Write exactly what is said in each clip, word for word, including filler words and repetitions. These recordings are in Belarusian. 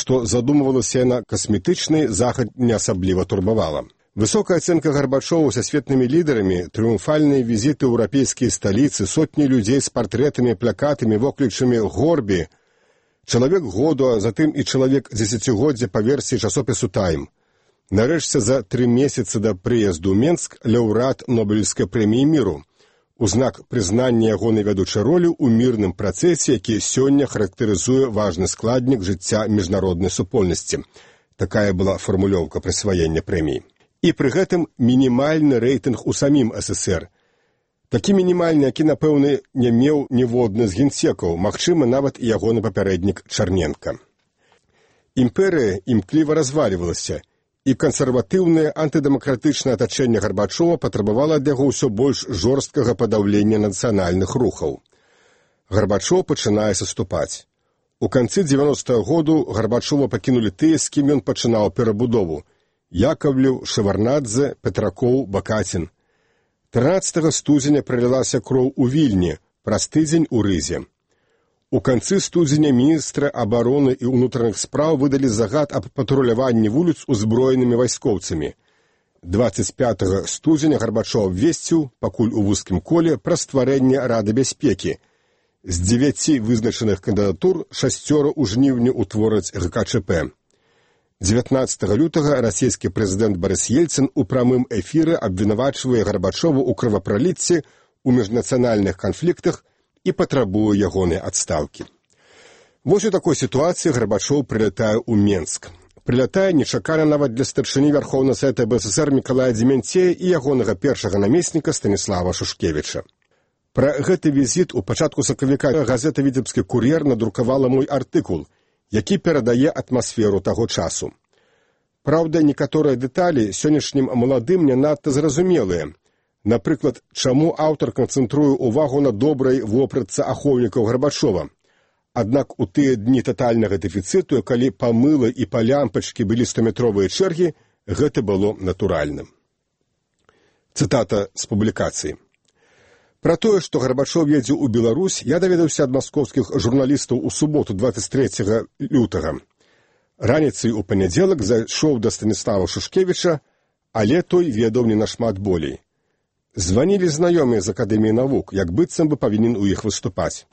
што задумывалася яна касметычны, захад не асабліва турбавала. Высокая ацэнка Гарбачова сусветнымі лідарамі, трыумфальныя візіты ў еўрапейскія сталіцы, сотні людзей з партрэтамі, плакатамі, воклічамі Горбі, чалавек году, а затым і чалавек дзесяцігоддзя па версіі часопісу «Тайм». Нарэшце за тры месяцы да прыезду ў Менск лаўрэат Нобелеўскай прэміі міру, у знак прызнання ягонай вядучай ролі ў мірным працэсе, які сёння характарызуе важны складнік жыцця міжнароднай супольнасці. Такая была фармулёўка прысваення прэміі. І пры гэтым мінімальны рэйтынг у самім эс эс ер. Такі мінімальны, які, напэўна, не меў ніводны з генсекаў, магчыма, нават і ягоны папярэднік Чарненка. Імперыя імкліва развалівалася, і кансерватыўнае антыдэмакратычнае атачэнне Гарбачова патрабавала ад яго ўсё больш жорсткага падаўлення нацыянальных рухаў. Гарбачоў пачынае саступаць. У канцы дзевяностага году Гарбачова пакінулі тыя, з кім ён пачынаў перабудову: Яковлеў, Шеварнадзе, Петракоў, Бакацін. трынаццатага студзеня пралілася кроў у Вільні, праз тыдзень у Рызе. У канцы студзеня міністры абароны і ўнутраных спраў выдалі загад аб патруляванні вуліц узброенымі вайскоўцамі. дваццаць пятага студзеня Гарбачоў абвесціў, пакуль у вузкім коле, пра стварэнне Рады бяспекі. З дзевяці вызначаных кандыдатур шасцёра ў жніўні ўтвораць гэ ка чэ пэ. дзевятнаццатага лютага расійскі прэзідэнт Барыс Ельцын у прамым эфіры абвінавачвае Гарбачову ў крывапраліцці, у міжнацыянальных канфліктах і патрабуе ягонай адстаўкі. Вось у такой сітуацыі Гарбачоў прылятае ў Менск. Прылятае нечакана нават для старшыні Вярхоўнага Савета бэ эс эс ер Мікалая Дземянцея і ягонага першага намесніка Станіслава Шушкевіча. Пра гэты візіт у пачатку сакавіка газета «Віцебскі кур'ер» надрукавала мой артыкул, які перадае атмасферу таго часу. Праўда, некаторыя дэталі сённяшнім маладым не надта зразумелыя. Напрыклад, чаму аўтар канцэнтруе ўвагу на добрай вопратцы ахоўнікаў Гарбачова. Аднак у тыя дні татальнага дэфіцыту, калі па мыла і па лямпачкі былі стометровыя чэргі, гэта было натуральным. Цытата з публікацыі. Пра тое, што Гарбачоў едзе ў Беларусь, я даведаўся ад маскоўскіх журналістаў у суботу дваццаць трэцяга лютага. Раніцай у панядзелак зайшоў да Станіслава Шушкевіча, але той ведаў не нашмат болей. Званілі знаёмыя з Акадэміі навук, як быццам бы павінен у іх выступаць.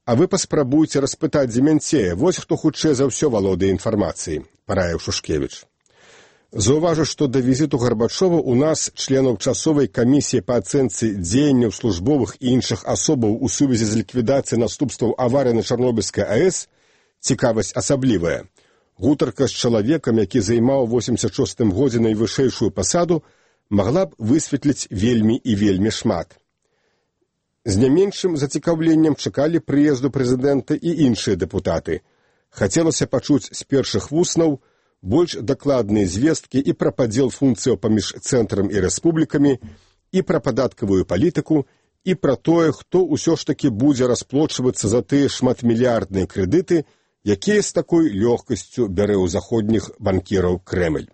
А вы паспрабуйце распытаць Дземянцея, вось хто хутчэй за ўсё валодае інфармацыяй, параіў Шушкевіч. Заўважу, што да візіту Гарбачова у нас, членаў часовай камісіі па ацэнцы дзеянняў службовых і іншых асобаў у сувязі з ліквідацыяй наступстваў аварыі на Чарнобыльскай а эс, цікавасць асаблівая. Гутарка з чалавекам, які займаў у восемьдесят шостым годзе найвышэйшую пасаду, магла б высветліць вельмі і вельмі шмат. З не меншым зацікаўленнем чакалі прыезду прэзідэнта і іншыя дэпутаты. Хацелася пачуць з першых вуснаў больш дакладныя звесткі і пра падзел функцыяў паміж цэнтрам і рэспублікамі, і пра падаткавую палітыку, і пра тое, хто ўсё ж такі будзе расплочвацца за тыя шматмільярдныя крэдыты, якія з такой лёгкасцю бярэ ў заходніх банкіраў Крэмль.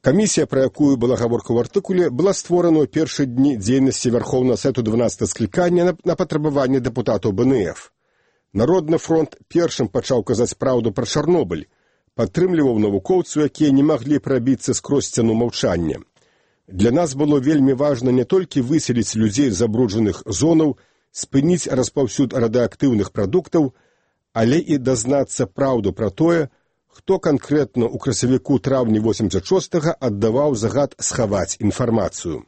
Камісія, пра якую была гаворка ў артыкуле, была створана ў першыя дні дзейнасці Вярхоўнага Савету дванаццатага склікання на, на патрабаванне дэпутатаў бэ эн эф. Народны фронт першым пачаў казаць праўду пра Чарнобыль, падтрымліваў навукоўцаў, якія не маглі прабіцца скрозь сцяну маўчання. Для нас было вельмі важна не толькі выселіць людзей з забруджаных зонаў, спыніць распаўсюд радыеактыўных прадуктаў, але і дазнацца праўду пра тое, хто канкрэтна ў красавіку-траўні восемьдесят шостага аддаваў загад схаваць інфармацыю.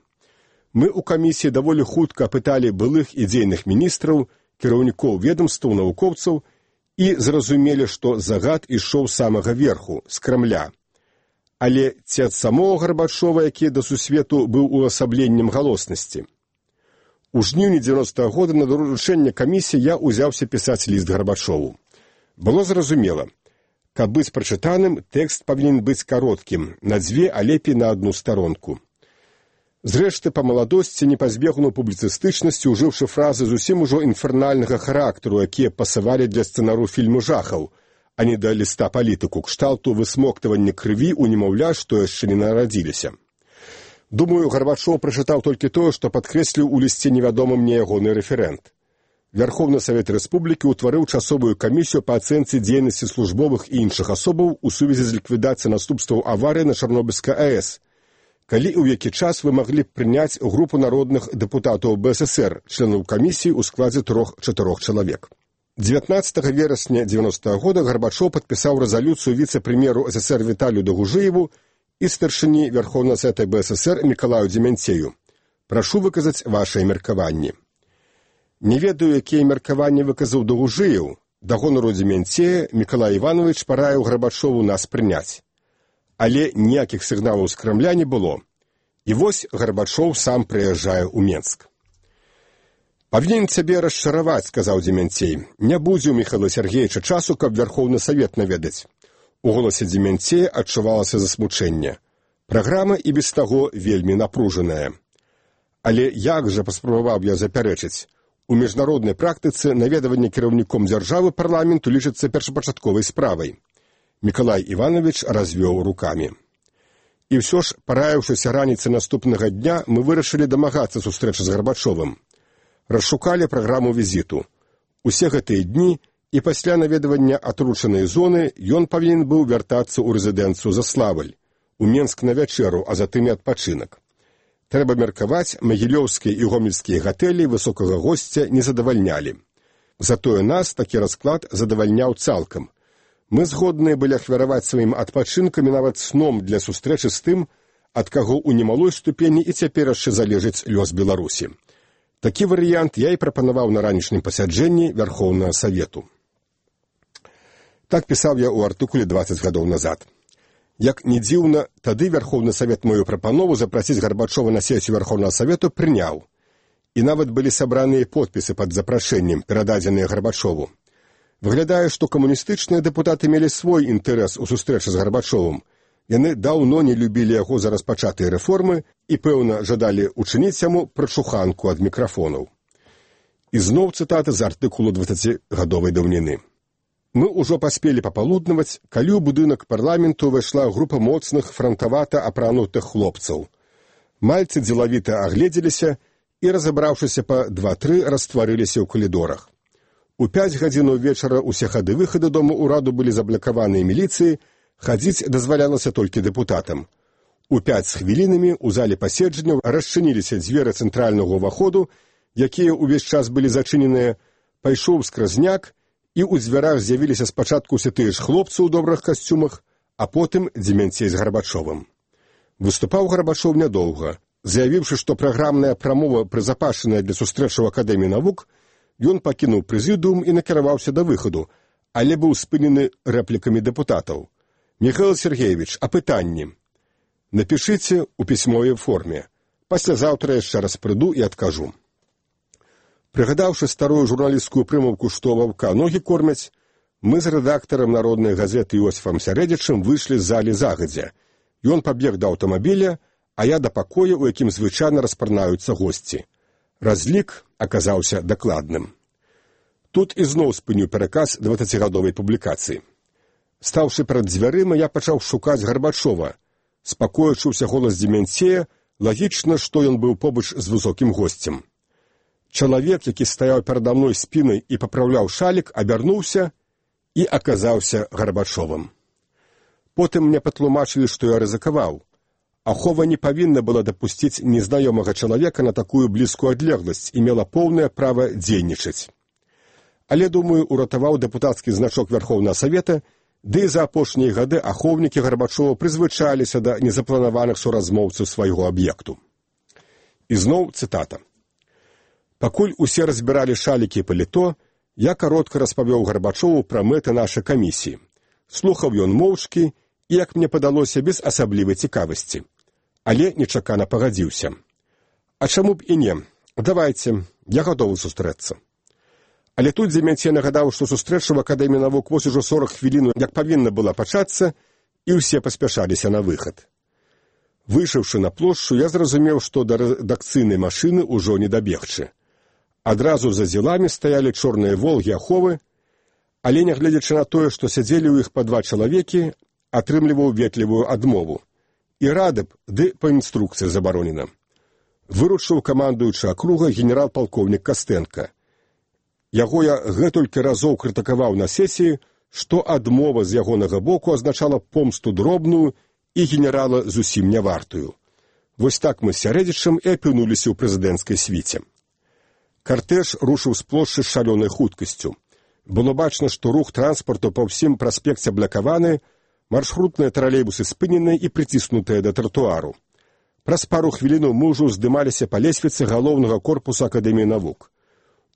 Мы ў камісіі даволі хутка апыталі былых і дзейных міністраў, кіраўнікоў ведамстваў, навукоўцаў і зразумелі, што загад ішоў з самага верху, з Крамля. Але ці ад самого Гарбачова, які да сусвету быў увасабленнем галоснасці. У жніўні дзевяностага года на даручэнне камісіі я ўзяўся пісаць ліст Гарбачову. Было зразумела, каб быць прачытаным, тэкст павінен быць кароткім, на дзве, а лепей на адну старонку. Зрэшты, па маладосці не пазбегнуў публіцыстычнасці, ужыўшы фразы зусім ужо інфернальнага характару, якія пасавалі для сцэнару фільму жахаў, а не да ліста палітыку, кшталту высмоктывання крыві ў немаўля, што яшчэ не нарадзіліся. Думаю, Гарбачоў прачытаў толькі тое, што падкрэсліў у лісце невядомы мне ягоны рэферэнт. Верховны Савет Рэспублікі ўтварыў часовую камісію па ацэнцы дзейнасці службовых і іншых асобаў у сувязі з ліквідацыяй наступстваў аварыі на Чарнобыльскай АЭС, калі ў які час вы маглі б прыняць групу народных дэпутатаў БССР, членаў камісіі ў складзе трох-чатырох чалавек. дзевятнаццатага верасня дзевяностага года Гарбачоў падпісаў рэзалюцыю віцэ-прэм'еру СССР Віталію Дагужыеву і старшыні Верховнага Савета БССР Мікалаю Дземянцею. Прашу выказаць вашыя меркаванні. Не ведаю, якія меркаванні выказаў Дагужыеў. Да гонару Дземянцея Мікалай Іванович параіў Гарбачову нас прыняць. Але ніякіх сігналаў з Крамля не было. І вось Гарбачоў сам прыязджае ў Менск. «Павінен цябе расчараваць», — сказаў Дземянцей. «Не будзе ў Міхаіла Сергеевича часу, каб Верховны Савет наведаць». У голасе Дземянцея адчувалася засмучэнне. Праграма і без таго вельмі напружаная. Але як жа, паспрабаваў я запярэчыць, у міжнароднай практыцы наведаванне кіраўніком дзяржавы парламенту лічыцца першапачатковай справай. Мікалай Іванович развёў рукамі. І ўсё ж, параіўшыся раніцы наступнага дня, мы вырашылі дамагацца сустрэчы з Гарбачовым. Расшукалі праграму візіту. Усе гэтыя дні і пасля наведавання атручанай зоны ён павінен быў вяртацца ў рэзідэнцыю Заславль, у Менск на вячэру, а затым і адпачынак. Трэба меркаваць, магілёўскія і гомельскія гатэлі высокага госця не задавальнялі. Затое нас такі расклад задавальняў цалкам. Мы згодныя былі ахвяраваць сваім адпачынкам і нават сном для сустрэчы з тым, ад каго ў немалой ступені і цяпер яшчэ залежыць лёс Беларусі. Такі варыянт я і прапанаваў на ранішнім пасяджэнні Верховнага Савету. Так пісаў я ў артыкуле дваццаць гадоў назад. Як не дзіўна, тады Верховны Савет мою прапанову запрасіць Гарбачова на сесію Верховнага Савету прыняў. І нават былі сабраныя подпісы пад запрашэннем, перададзеныя Гарбачову. Выглядае, што камуністычныя дэпутаты мелі свой інтарэс у сустрэчы з Гарбачовым. Яны даўно не любілі яго за распачатыя рэформы і, пэўна, жадалі учыніць яму прачуханку ад мікрафонаў. І зноў цытата з артыкулу дваццацігадовай даўніны. Мы ўжо паспелі папалуднаваць, калі ў будынак парламенту ўвайшла група моцных франтавата апранутых хлопцаў. Мальцы дзелавіта агледзеліся і, разабраўшыся па два-тры, растварыліся ў калідорах. У пяць гадзінаў вечара ўсе хады-выхады дома ўраду былі заблакаваныя міліцыі, хадзіць дазвалялася толькі дэпутатам. У пяць з хвілінамі ў зале паседжанняў расчыніліся дзверы цэнтральнага ўваходу, якія ўвесь час былі зачыненыя, пайшоў скразняк, і ў дзвярах з'явіліся спачатку ўсе тыя ж хлопцы ў добрых касцюмах, а потым Дземянцей з Гарбачовым. Выступаў Гарбачоў нядоўга. Заявіўшы, што праграмная прамова прызапашаная для сустрэчы ў Акадэміі навук, ён пакінуў прэзідыум і накіраваўся да выхаду, але быў спынены рэплікамі дэпутатаў. «Міхаіл Сергеевич, а пытанні?» «Напішыце ў пісьмовай форме. Паслязаўтра яшчэ раз прыду і адкажу». Прыгадаўшы старую журналісцкую прымаўку, што ваўка ногі кормяць, мы з рэдактарам народнай газеты Іосіфам Сярэдзічым выйшлі з залі загадзя. Ён пабег да аўтамабіля, а я да пакоя, у якім звычайна распарнаюцца госці. Разлік аказаўся дакладным. Тут ізноў спыніў пераказ дваццацігадовай публікацыі. Стаўшы перад дзвярыма, я пачаў шукаць Гарбачова. З пакоя чуўся голас Дземянцея, лагічна, што ён быў побач з высокім госцем. Чалавек, які стаяў перада мной спінай і папраўляў шалік, абярнуўся і аказаўся Гарбачовым. Потым мне патлумачылі, што я рызыкаваў. Ахова не павінна была дапусціць незнаёмага чалавека на такую блізкую адлегласць і мела поўнае права дзейнічаць. Але, думаю, уратаваў дэпутацкі значок Верховнага Савета, ды і за апошнія гады ахоўнікі Гарбачова прызвычаліся да незапланаваных суразмоўцаў свайго аб'екту. І зноў цытата. Пакуль усе разбіралі шалікі і паліто, я каротка распавёў Гарбачову пра мэты нашай камісіі. Слухаў ён моўчкі і, як мне падалося, без асаблівай цікавасці. Але нечакана пагадзіўся. А чаму б і не? Давайце, я гатовы сустрэцца. Але тут Дземянцей нагадаў, што сустрэча ў Акадэміі навук вось ужо сорак хвілін, як павінна была пачацца, і ўсе паспяшаліся на выхад. Выйшаўшы на плошчу, я зразумеў, што да рэдакцыйнай машыны ўжо не дабегчы. Адразу за дзеламі стаялі чорныя волгі аховы, але, нягледзячы на тое, што сядзелі ў іх па два чалавекі, атрымліваў ветлівую адмову. І рады б, ды па інструкцыі забаронена. Выручыў камандуючы акруга генерал-палкоўнік Кастэнка. Яго я гэтулькі разоў крытыкаваў на сесіі, што адмова з ягонага боку азначала помсту дробную і генерала зусім не вартую. Вось так мы з Сярэдзічам і апынуліся ў прэзідэнцкай свіце. Картэж рушыў з плошчы з шалёнай хуткасцю. Было бачна, што рух транспарту па ўсім праспекце блакаваны, маршрутныя тралейбусы спыненыя і прыціснутыя да тратуару. Праз пару хвілінаў мы ўжо здымаліся па лесвіцы галоўнага корпуса Акадэміі навук.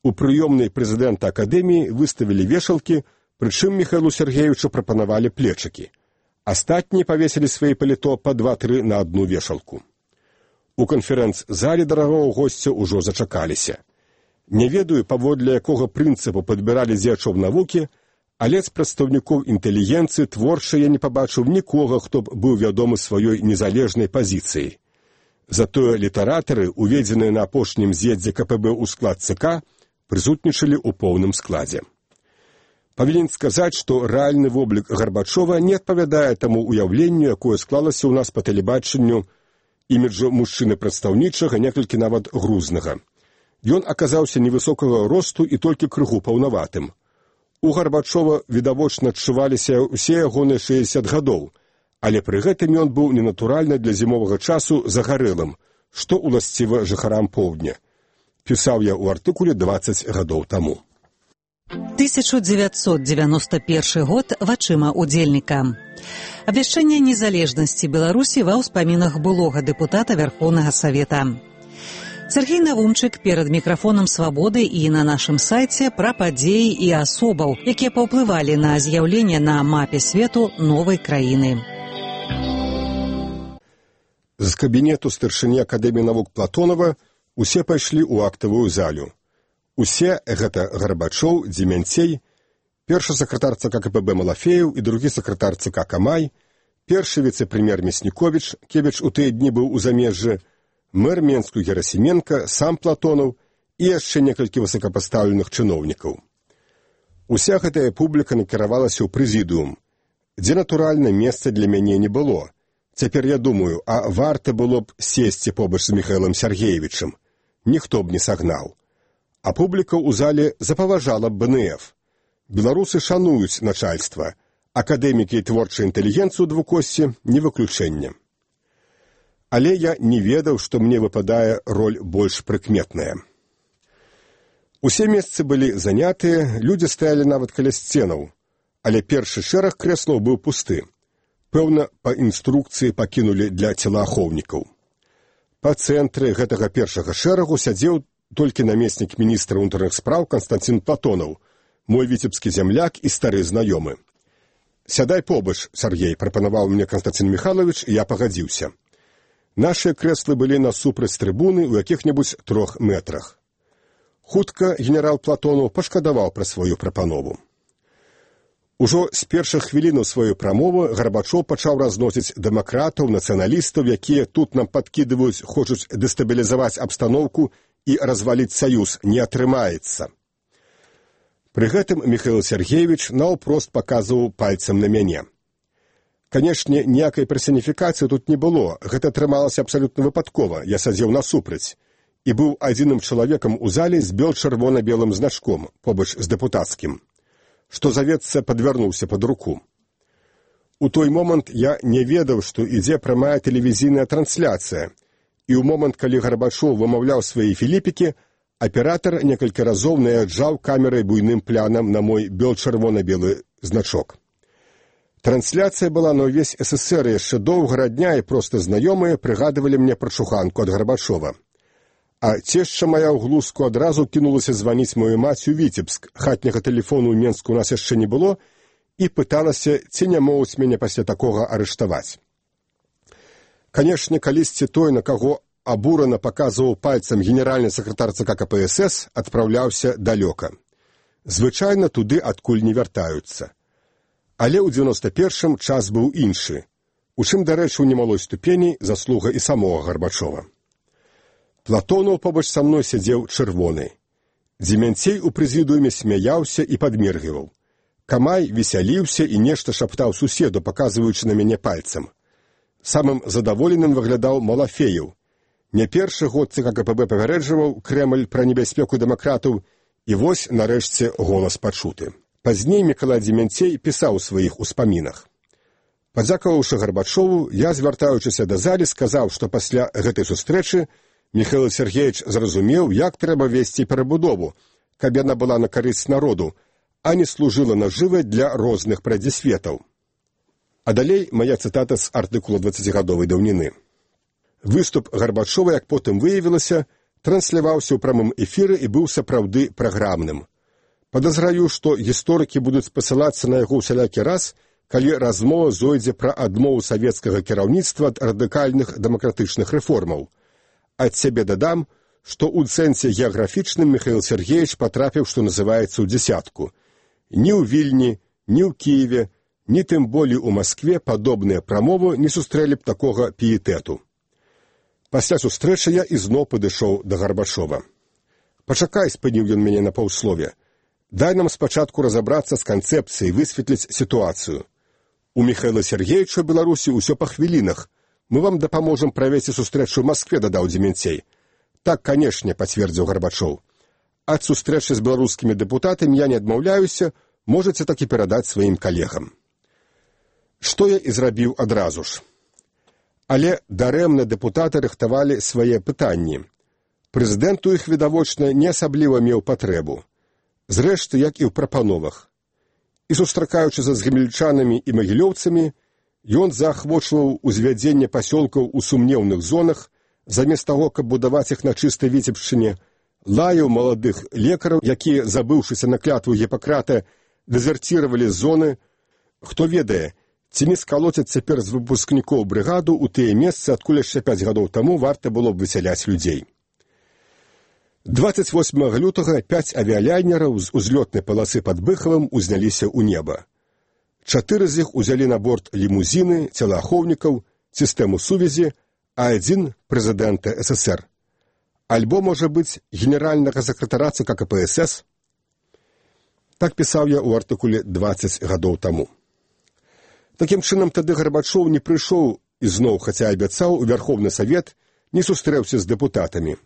У прыёмнай прэзідэнта Акадэміі выставілі вешалкі, прычым Міхаілу Сергеевичу прапанавалі плечакі. Астатнія павесілі свае паліто па два-тры на адну вешалку. У канферэнц-зале дарагого госця ўжо зачакаліся. Не ведаю, паводле якога прынцыпу падбіралі дзеячоў навукі, але з прадстаўнікоў інтэлігенцыі творча я не пабачыў нікога, хто б быў вядомы сваёй незалежнай пазіцыяй. Затое літаратары, уведзеныя на апошнім з'ездзе ка пэ бэ ў склад цэ ка, прысутнічалі ў поўным складзе. Павінен сказаць, што рэальны воблік Гарбачова не адпавядае таму ўяўленню, якое склалася ў нас па тэлебачанню, іміджу мужчыны прадстаўнічага, некалькі нават грузнага. Ён аказаўся невысокага росту і толькі крыху паўнаватым. У Гарбачова відавочна адчуваліся ўсе ягоныя шэсцьдзесят гадоў, але пры гэтым ён быў ненатуральна для зімовага часу загарэлым, што ўласціва жыхарам поўдня. Пісаў я ў артыкуле дваццаць гадоў таму. тысяча дзевяцьсот дзевяносто першы год вачыма удзельніка. Абвяшчэнне незалежнасці Беларусі ва ўспамінах былога дэпутата Вярхоўнага Савета. Сергей Навумчык перад мікрафонам «Свабоды» і на нашым сайце пра падзеі і асобаў, якія паўплывалі на з'яўленне на мапе свету новай краіны. З кабінету старшыні Акадэміі навук Платонова усе пайшлі ў актавую залю. Усе гэта Гарбачоў, Дземянцей, першы сакратар цэ ка ка пэ бэ Малафеев і другі сакратар цэ ка Камай, першы віцэ-прэм'ер Мясніковіч, Кевіч у тыя дні быў у замежжы, мэр Менску Герасіменка, сам Платонов і яшчэ некалькі высокапастаўленых чыноўнікаў. Уся гэтая публіка накіравалася ў прэзідыум, дзе, натуральна, месца для мяне не было. Цяпер я думаю, а варта было б сесці побач з Міхаілам Сергеевичам. Ніхто б не сагнаў. А публіка ў зале запаважала б бэ эн эф. Беларусы шануюць начальства, акадэмікі і творчая інтэлігенцыю двукосці не выключэнне. Але я не ведаў, што мне выпадае роль больш прыкметная. Усе месцы былі занятыя, людзі стаялі нават каля сценаў, але першы шэраг крэслаў быў пусты. Пэўна, па інструкцыі пакінулі для целаахоўнікаў. Па цэнтры гэтага першага шэрагу сядзеў толькі намеснік міністра ўнутраных спраў Канстанцін Платонов, мой віцебскі зямляк і стары знаёмы. «Сядай побач, Сергей», прапанаваў мне Канстанцін Михайлович, і я пагадзіўся. Нашыя крэслы былі насупраць трыбуны ў якіх-небудзь трох метрах. Хутка генерал Платонов пашкадаваў пра сваю прапанову. Ужо з першых хвілінаў сваёй прамовы Гарбачоў пачаў разносіць дэмакратаў, нацыяналістаў, якія тут нам падкідваюць, хочуць дэстабілізаваць абстаноўку і разваліць саюз. Не атрымаецца. Пры гэтым Міхаіл Сергеевич наўпрост паказваў пальцам на мяне. Канешне, ніякай персаніфікацыі тут не было, гэта атрымалася абсалютна выпадкова, я сядзеў насупраць, і быў адзіным чалавекам у зале з бел-чырвона-белым значком, побач з дэпутацкім, што, завецца, падвярнуўся пад руку. У той момант я не ведаў, што ідзе прамая тэлевізійная трансляцыя, і ў момант, калі Гарбачоў вымаўляў свае філіпікі, аператар некалькі разоў наязджаў камерай буйным плянам на мой бел-чырвона-белы значок. Трансляцыя была на ўвесь эс эс эс эр, яшчэ доўгага дня, і проста знаёмыя прыгадывалі мне пра чуханку ад Гарбачова. А цешча моя ў глузку адразу кінулася званіць мою маці ў Віцебск, хатняга тэлефону ў Менску у нас яшчэ не было, і пыталася, ці не могуць мяне пасля такога арыштаваць. Канешне, калісьці той, на каго абурана паказваў пальцам генеральны сакратар цэ ка ка пэ эс эс, адпраўляўся далёка. Звычайна туды адкуль не вяртаюцца. Але ў дзевяноста першым час быў іншы, у чым, дарэчы, у немалой ступені заслуга і самога Гарбачова. Платонов побач са мной сядзеў чырвоны. Дземянцей у прэзідыуме смяяўся і падміргіваў. Камай весяліўся і нешта шаптаў суседу, паказваючы на мяне пальцам. Самым задаволеным выглядаў Малафеев. Не першы год цэ ка ка пэ бэ папярэджваў Крэмль пра небяспеку дэмакратаў І вось, нарэшце, голас пачуты. Пазней Мікалай Дземянцей пісаў у сваіх успамінах. Падзякаваўшы Гарбачову, я, звяртаючыся да залі, сказаў, што пасля гэтай сустрэчы Міхаіл Сергеевич зразумеў, як трэба весці перабудову, каб яна была на карысць народу, а не служыла нажывай для розных прадзісветаў. А далей мая цытата з артыкула дваццацігадовай даўніны. Выступ Гарбачова, як потым выявілася, трансляваўся ў прамым эфіры і быў сапраўды праграмным. Падазраю, што гісторыкі будуць спасылацца на яго ўсялякі раз, калі размова зойдзе пра адмову савецкага кіраўніцтва ад радыкальных дэмакратычных рэформаў. Ад сябе дадам, што ў цэнсе геаграфічным Міхаіл Сергеевич патрапіў, што называецца, ў дзясятку. Ні ў Вільні, ні ў Кіеве, ні тым болей у Маскве падобныя прамовы не сустрэлі б такога піетэту. Пасля сустрэчы я ізноў падышоў да Гарбачова. «Пачакай», — спыніў ён мяне на паўслове. «Дай нам спачатку разабрацца з канцэпцыяй, высветліць сітуацыю. У Міхаіла Сергеевича ў Беларусі ўсё па хвілінах. Мы вам дапаможам правесці сустрэчу ў Маскве», — дадаў Дземянцей. «Так, канешне», — пацвердзіў Гарбачоў. «Ад сустрэчы з беларускімі дэпутатамі я не адмаўляюся, можаце так і перадаць сваім калегам». Што я і зрабіў адразу ж. Але дарэмна дэпутаты рыхтавалі свае пытанні. Прэзідэнт у іх, відавочна, не асабліва меў патрэбу. Зрэшты, як і ў прапановах. І сустракаючыся з гамельчанамі і магілёўцамі, ён заахвочваў узвядзенне пасёлкаў у сумнеўных зонах, замест таго, каб будаваць іх на чыстай Віцебшчыне, лаяў маладых лекараў, якія, забыўшыся на клятву Гіпакрата, дэзерціравалі з зоны. Хто ведае, ці не скалоцяць цяпер з выпускнікоў брыгаду ў тыя месцы, адкуль яшчэ пяць гадоў таму варта было б высяляць людзей. дваццаць восьмага лютага пяць авіялайнераў з узлётнай паласы пад Быхавым узняліся ў неба. Чатыры з іх узялі на борт лімузіны, целаахоўнікаў, сістэму сувязі, а адзін – прэзідэнта эс эсэр. Альбо, можа быць, генеральнага сакратара цэ ка ка пэ эс эс? Так пісаў я ў артыкуле дваццаць гадоў таму. Такім чынам, тады Гарбачоў не прыйшоў ізноў, хаця абяцаў, у Вярхоўны Савет, не сустрэўся з дэпутатамі.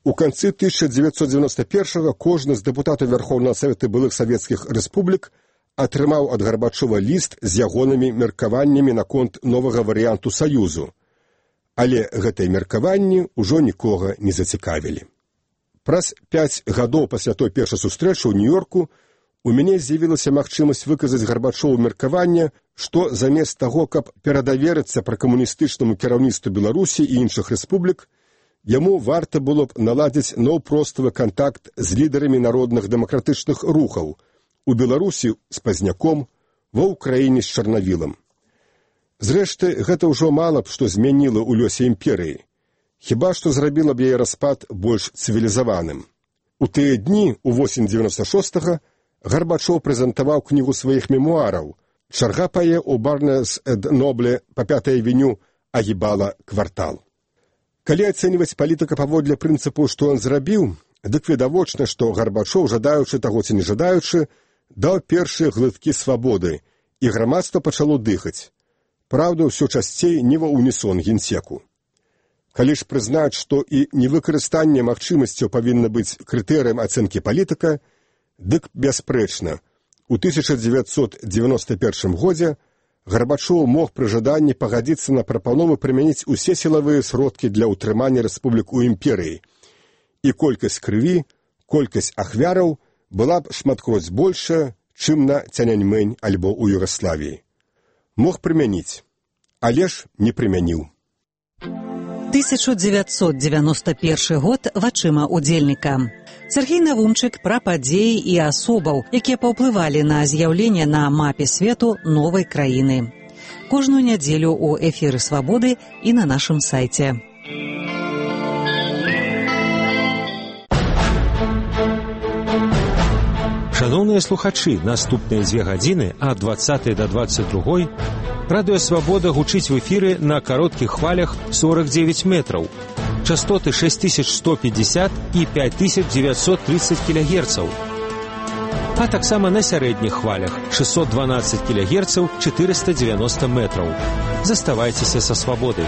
У канцы тысяча дзевяцьсот дзевяноста першага кожны з дэпутатаў Вярхоўнага Савета былых савецкіх рэспублік атрымаў ад Гарбачова ліст з ягонымі меркаваннямі наконт новага варыянту Саюзу. Але гэтыя меркаванні ўжо нікога не зацікавілі. Праз пяць гадоў пасля той першай сустрэчы ў Нью-Йорку у мяне з'явілася магчымасць выказаць Гарбачову меркаванне, што замест таго, каб перадаверыцца пракамуністычнаму кіраўніцтву Беларусі і іншых рэспублік, яму варта было б наладзіць наўпроставы кантакт з лідарамі народных дэмакратычных рухаў у Беларусі з Пазняком, ва ўкраіне з Чарнавілам. Зрэшты, гэта ўжо мала б што змяніла ў лёсе імперыі. Хіба што зрабіла б яе распад больш цывілізаваным. У тыя дні, у восень дзевяноста шостага, Гарбачоў прэзентаваў кнігу сваіх мемуараў «Чарга пае ў Барнес-энд-Нобле па пятай авеню агібала квартал». Калі ацэньваць палітыка паводле прынцыпу, што ён зрабіў, дык відавочна, што Гарбачоў, жадаючы таго ці не жадаючы, даў першыя глыткі свабоды, і грамадства пачало дыхаць. Праўда, ўсё часцей не ва унісон генсеку. Калі ж прызнаць, што і невыкарыстанне магчымасцяў павінна быць крытэрыем ацэнкі палітыка, дык бясспрэчна, у тысяча дзевяцьсот дзевяноста першым годзе Гарбачоў мог пры жаданні пагадзіцца на прапанову прымяніць усе сілавыя сродкі для ўтрымання рэспублік у імперыі, і колькасць крыві, колькасць ахвяраў была б шматкроць большая, чым на Цяньаньмэнь альбо ў Югаславіі. Мог прымяніць, але ж не прымяніў. тысяча дзевяцьсот дзевяноста першы год вачыма удзельніка. Сергей Навумчык пра падзеі і асобаў, якія паўплывалі на з'яўленне на мапе свету новай краіны. Кожную нядзелю ў эфіры «Свабоды» і на нашым сайце. Шановныя слухачы, наступныя дзве гадзіны ад дваццатай да дваццаць другой радыё «Свабода» гучыць в эфіры на кароткіх хвалях сорок девять метраў. Частоты шесть тысяч сто пятьдесят і пять тысяч девятьсот тридцать кілягерцаў. А таксама на сярэдніх хвалях шестьсот дванадцать кілягерцаў, четыреста девяносто метраў. Заставайцеся са «Свабодай».